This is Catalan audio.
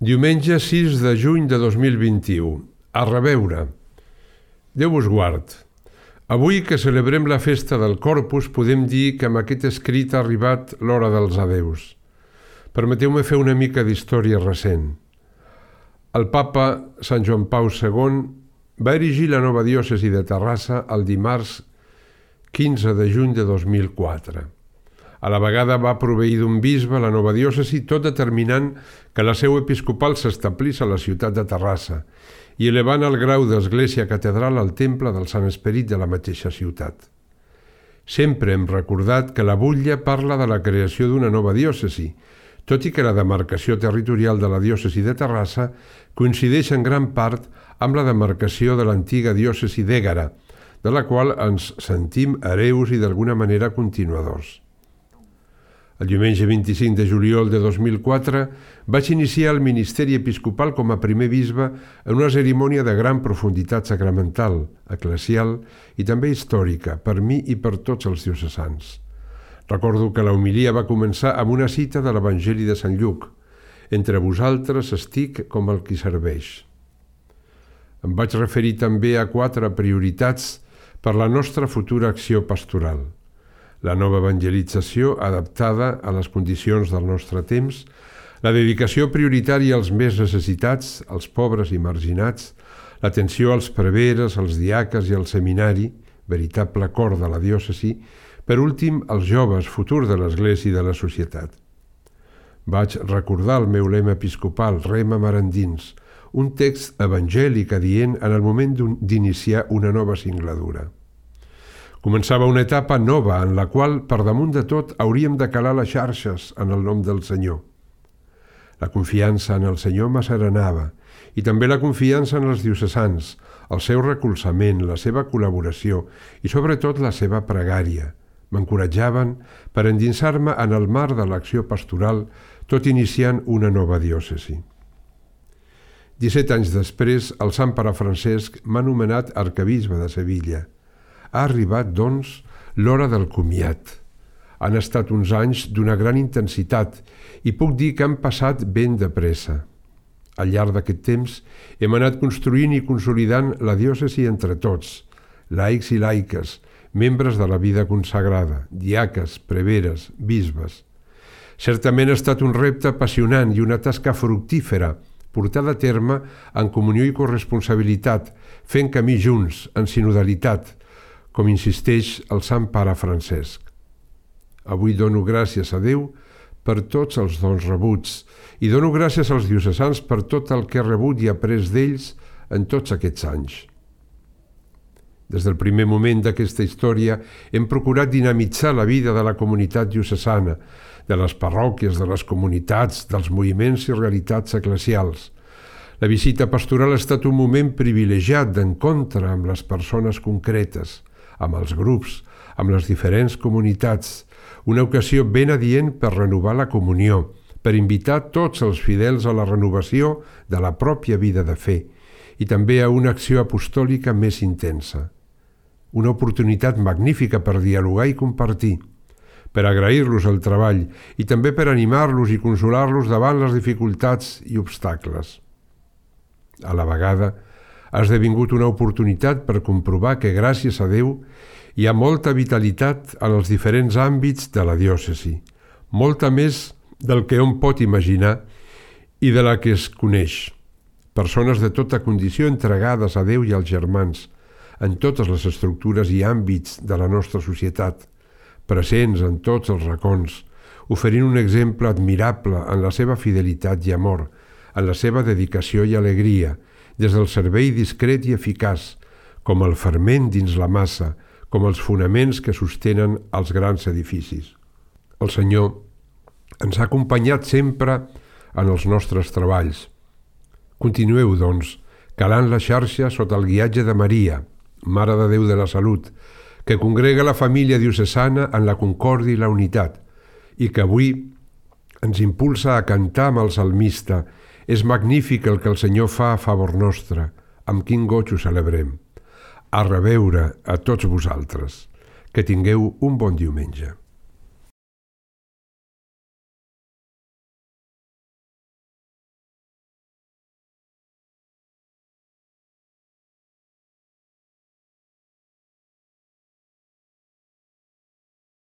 Diumenge 6 de juny de 2021. A reveure. Déu us guard. Avui que celebrem la festa del Corpus podem dir que amb aquest escrit ha arribat l'hora dels adeus. Permeteu-me fer una mica d'història recent. El papa Sant Joan Pau II va erigir la nova diòcesi de Terrassa el dimarts 15 de juny de 2004. A la vegada va proveir d'un bisbe la nova diòcesi, tot determinant que la seu episcopal s'establís a la ciutat de Terrassa i elevant el grau d'església catedral al temple del Sant Esperit de la mateixa ciutat. Sempre hem recordat que la butlla parla de la creació d'una nova diòcesi, tot i que la demarcació territorial de la diòcesi de Terrassa coincideix en gran part amb la demarcació de l'antiga diòcesi d'Ègara, de la qual ens sentim hereus i d'alguna manera continuadors. El diumenge 25 de juliol de 2004 vaig iniciar el ministeri episcopal com a primer bisbe en una cerimònia de gran profunditat sacramental, eclesial i també històrica per mi i per tots els diocesans. Recordo que la homilia va començar amb una cita de l'Evangeli de Sant Lluc: «Entre vosaltres estic com el qui serveix». Em vaig referir també a 4 prioritats per la nostra futura acció pastoral. La nova evangelització adaptada a les condicions del nostre temps, la dedicació prioritària als més necessitats, als pobres i marginats, l'atenció als preveres, als diaques i al seminari, veritable cor de la diòcesi, per últim, als joves, futur de l'Església i de la societat. Vaig recordar el meu lema episcopal, Rema mar endins, un text evangèlic adient en el moment d'iniciar una nova singladura. Començava una etapa nova en la qual, per damunt de tot, hauríem de calar les xarxes en el nom del Senyor. La confiança en el Senyor m'asserenava i també la confiança en els diocesans, el seu recolzament, la seva col·laboració i sobretot la seva pregària. M'encoratjaven per endinsar-me en el mar de l'acció pastoral, tot iniciant una nova diòcesi. 17 anys després, el Sant Pare Francesc m'ha nomenat arquebisbe de Sevilla. Ha arribat, doncs, l'hora del comiat. Han estat uns anys d'una gran intensitat i puc dir que han passat ben de pressa. Al llarg d'aquest temps hem anat construint i consolidant la diòcesi entre tots, laics i laiques, membres de la vida consagrada, diaques, preveres, bisbes. Certament ha estat un repte apassionant i una tasca fructífera, portada a terme en comunió i corresponsabilitat, fent camí junts, en sinodalitat, com insisteix el Sant Pare Francesc. Avui dono gràcies a Déu per tots els dons rebuts i dono gràcies als diocesans per tot el que he rebut i après d'ells en tots aquests anys. Des del primer moment d'aquesta història hem procurat dinamitzar la vida de la comunitat diocesana, de les parròquies, de les comunitats, dels moviments i realitats eclesials. La visita pastoral ha estat un moment privilegiat d'encontre amb les persones concretes, amb els grups, amb les diferents comunitats, una ocasió ben adient per renovar la comunió, per invitar tots els fidels a la renovació de la pròpia vida de fe i també a una acció apostòlica més intensa. Una oportunitat magnífica per dialogar i compartir, per agrair-los el treball i també per animar-los i consolar-los davant les dificultats i obstacles. A la vegada, ha esdevingut una oportunitat per comprovar que, gràcies a Déu, hi ha molta vitalitat en els diferents àmbits de la diòcesi, molta més del que hom pot imaginar i de la que es coneix. Persones de tota condició entregades a Déu i als germans, en totes les estructures i àmbits de la nostra societat, presents en tots els racons, oferint un exemple admirable en la seva fidelitat i amor, en la seva dedicació i alegria, des del servei discret i eficaç, com el ferment dins la massa, com els fonaments que sostenen els grans edificis. El Senyor ens ha acompanyat sempre en els nostres treballs. Continueu, doncs, calant la xarxa sota el guiatge de Maria, Mare de Déu de la Salut, que congrega la família diocesana en la concòrdia i la unitat, i que avui ens impulsa a cantar amb el salmista: «És magnífic el que el Senyor fa a favor nostre, amb quin goig ho celebrem». A reveure a tots vosaltres. Que tingueu un bon diumenge.